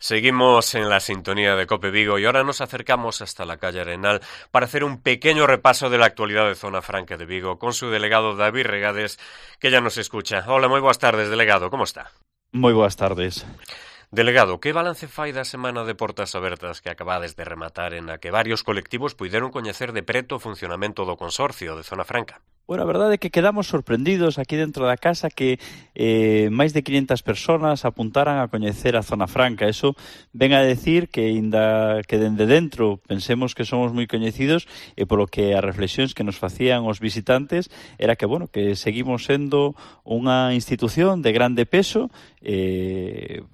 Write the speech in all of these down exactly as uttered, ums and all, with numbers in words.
Seguimos en la sintonía de Cope Vigo y ahora nos acercamos hasta la calle Arenal para hacer un pequeño repaso de la actualidad de Zona Franca de Vigo con su delegado David Regades, que ya nos escucha. Hola, moi boas tardes, delegado, como está? Moi boas tardes. Delegado, que balance fai da semana de portas abertas que acabades de rematar en a que varios colectivos puideron coñecer de preto o funcionamento do consorcio de Zona Franca? Bueno, a verdade é que quedamos sorprendidos aquí dentro da casa que eh, máis de quinhentas persoas apuntaran a coñecer a Zona Franca. Eso ven a decir que, inda que dende dentro pensemos que somos moi coñecidos e polo que as reflexións que nos facían os visitantes era que, bueno, que seguimos sendo unha institución de grande peso, eh,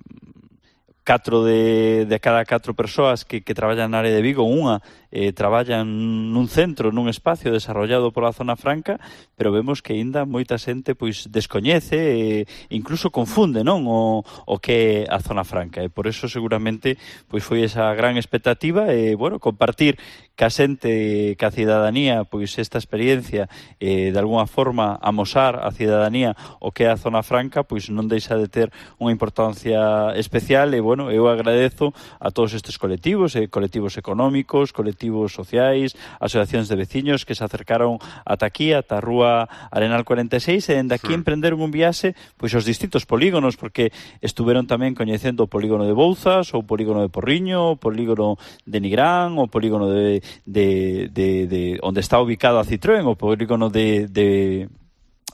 catro de, de cada catro persoas que, que traballan na área de Vigo, unha eh, traballan nun centro, nun espacio desarrollado pola Zona Franca, pero vemos que aínda moita xente pois descoñece e incluso confunde, non, o, o que é a Zona Franca, e por eso seguramente pois foi esa gran expectativa e, bueno, compartir ca xente, ca cidadanía, pois esta experiencia eh, de alguna forma amosar a cidadanía o que é a Zona Franca, pois non deixa de ter unha importancia especial e, bueno, eu agradezo a todos estes colectivos, eh, colectivos económicos, colectivos sociais, asociacións de veciños que se acercaron ata aquí, ata a Rúa Arenal cuarenta e seis, e dende aquí sí. emprenderon un viaxe pois aos distintos polígonos, porque estuveron tamén coñecendo o polígono de Bouzas, o polígono de Porriño, o polígono de Nigrán, o polígono de, de, de, de onde está ubicado a Citroën, o polígono de... de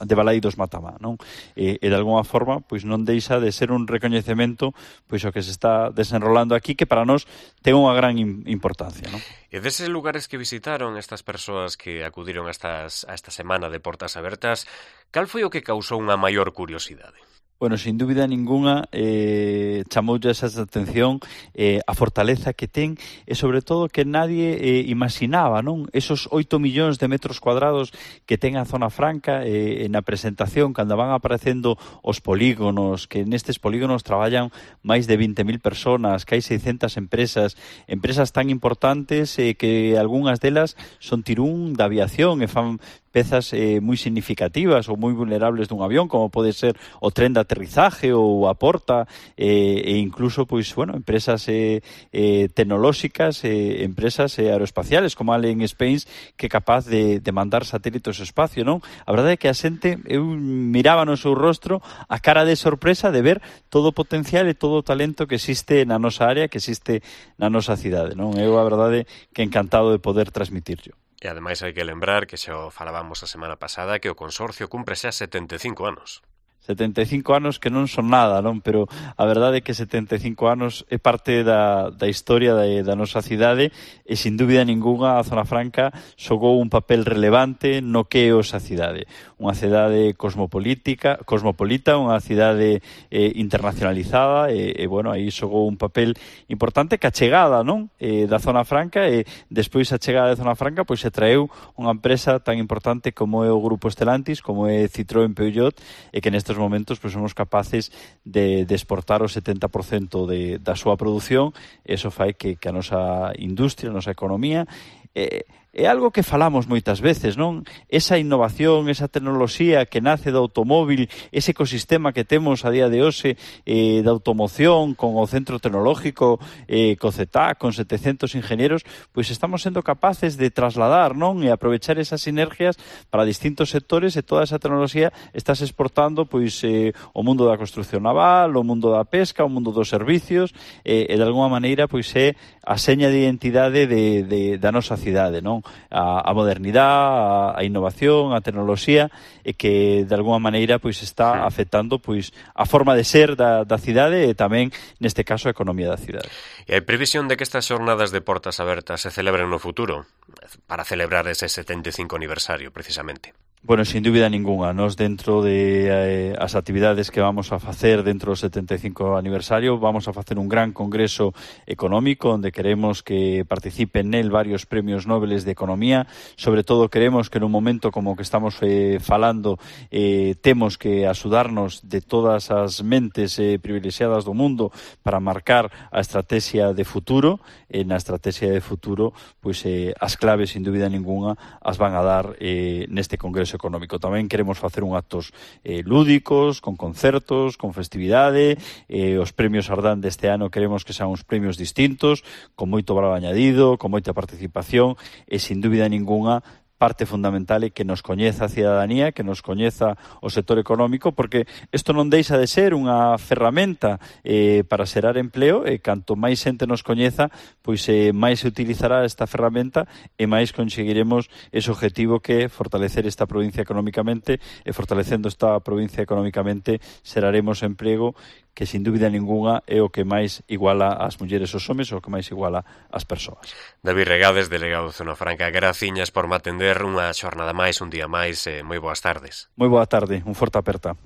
de Balaidos Matamá, non? E, e de alguma forma, pois non deixa de ser un recoñecemento pois o que se está desenrolando aquí, que para nós ten unha gran importancia, non? E deses lugares que visitaron estas persoas que acudiron a, estas, a esta semana de portas abertas, cal foi o que causou unha maior curiosidade? Bueno, sin dúbida ninguna, eh, chamoulle esa atención eh, a fortaleza que ten e, sobre todo, que nadie eh, imaginaba, non? Esos oito millóns de metros cuadrados que ten a Zona Franca eh, na presentación, cando van aparecendo os polígonos, que nestes polígonos traballan máis de vinte mil persoas, que hai seiscentas empresas, empresas tan importantes eh, que algunhas delas son tirún da aviación e fan pezas eh, moi significativas ou moi vulnerables dun avión, como pode ser o tren de aterrizaje ou a porta, eh, e incluso, pois, bueno, empresas eh, eh, tecnolóxicas, eh, empresas eh, aeroespaciales, como Allen Space, que é capaz de, de mandar satélites ao espacio, non? A verdade é que a xente, eu miraba no seu rostro a cara de sorpresa de ver todo o potencial e todo o talento que existe na nosa área, que existe na nosa cidade, non? Eu, a verdade, que encantado de poder transmitirlo. E ademais hai que lembrar que xa o falábamos a semana pasada que o consorcio cumpre xa setenta e cinco anos. setenta e cinco anos que non son nada, non? Pero a verdade é que setenta e cinco anos é parte da, da historia da, da nosa cidade e, sin dúbida ninguna, a Zona Franca xogou un papel relevante no que é esa cidade. Unha cidade cosmopolítica, cosmopolita, unha cidade eh, internacionalizada e, e, bueno, aí xogou un papel importante que a chegada, non? Eh, da Zona Franca e, despois a chegada da Zona Franca, pois se traeu unha empresa tan importante como é o Grupo Stellantis, como é Citroën Peugeot, e que nestes momentos pois somos capaces de, de exportar o setenta por cento de, da súa produción. Eso fai que, que a nosa industria, a nosa economía eh, é algo que falamos moitas veces, non? Esa innovación, esa tecnoloxía que nace do automóvil, ese ecosistema que temos a día de hoxe eh, da automoción, con o centro tecnológico, eh, co C E T A, con setecentos ingenieros, pois estamos sendo capaces de trasladar, non? E aprovechar esas sinergias para distintos sectores e toda esa tecnoloxía estás exportando pois eh, o mundo da construcción naval, o mundo da pesca, o mundo dos servicios, eh, e de alguma maneira pois é a seña de identidade de, de, da nosa cidade, non? A, a modernidade, a, a innovación, a tecnoloxía, e que de alguma maneira pois está afectando pois a forma de ser da, da cidade e tamén, neste caso, a economía da cidade. E hai previsión de que estas xornadas de portas abertas se celebren no futuro para celebrar ese setenta e cinco aniversario, precisamente? Bueno, sin dúbida ninguna, nos dentro de eh, as actividades que vamos a facer dentro do setenta e cinco aniversario, vamos a facer un gran congreso económico onde queremos que participen nel varios premios Nobel de Economía. Sobre todo queremos que nun momento como que estamos eh, falando eh, temos que axudarnos de todas as mentes eh, privilexiadas do mundo para marcar a estrategia de futuro. E na estrategia de futuro, pois eh, as claves, sin dúbida ninguna, as van a dar eh, neste congreso progreso económico. Tamén queremos facer un actos eh, lúdicos, con concertos, con festividade. Eh, os premios Ardán deste ano queremos que sean uns premios distintos, con moito valor añadido, con moita participación e, sin dúbida ninguna, parte fundamental é que nos coñeza a cidadanía, que nos coñeza o sector económico, porque isto non deixa de ser unha ferramenta eh, para xerar empleo, e canto máis xente nos coñeza, pois eh, máis se utilizará esta ferramenta e máis conseguiremos ese objetivo que é fortalecer esta provincia económicamente, e fortalecendo esta provincia económicamente xeraremos emprego, que sin dúbida ninguna é o que máis iguala as mulleres aos homes, o que máis iguala as persoas. David Regades, delegado de Zona Franca, graciñas por me atender unha xornada máis, un día máis, e moi boas tardes. Moi boa tarde, un forte aperta.